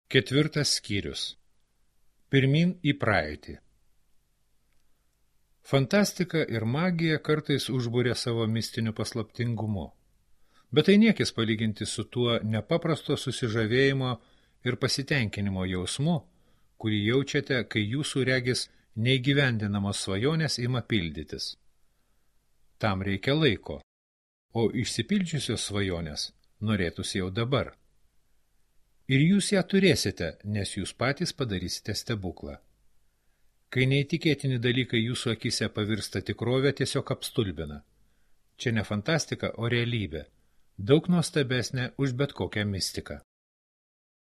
4 skyrius. Pirmyn į praeitį. Fantastika ir magija kartais užbūrė savo mistiniu paslaptingumu, bet tai niekis palyginti su tuo nepaprasto susižavėjimo ir pasitenkinimo jausmu, kurį jaučiate, kai jūsų regis neįgyvendinamos svajonės ima pildytis. Tam reikia laiko, o išsipildžiusios svajonės norėtųsi jau dabar. Ir jūs ją turėsite, nes jūs patys padarysite stebuklą. Kai neįtikėtini dalykai jūsų akise pavirsta tikrovę, tiesiog apstulbina. Čia ne fantastika, o realybė, daug nuostabesnė už bet kokią mistiką.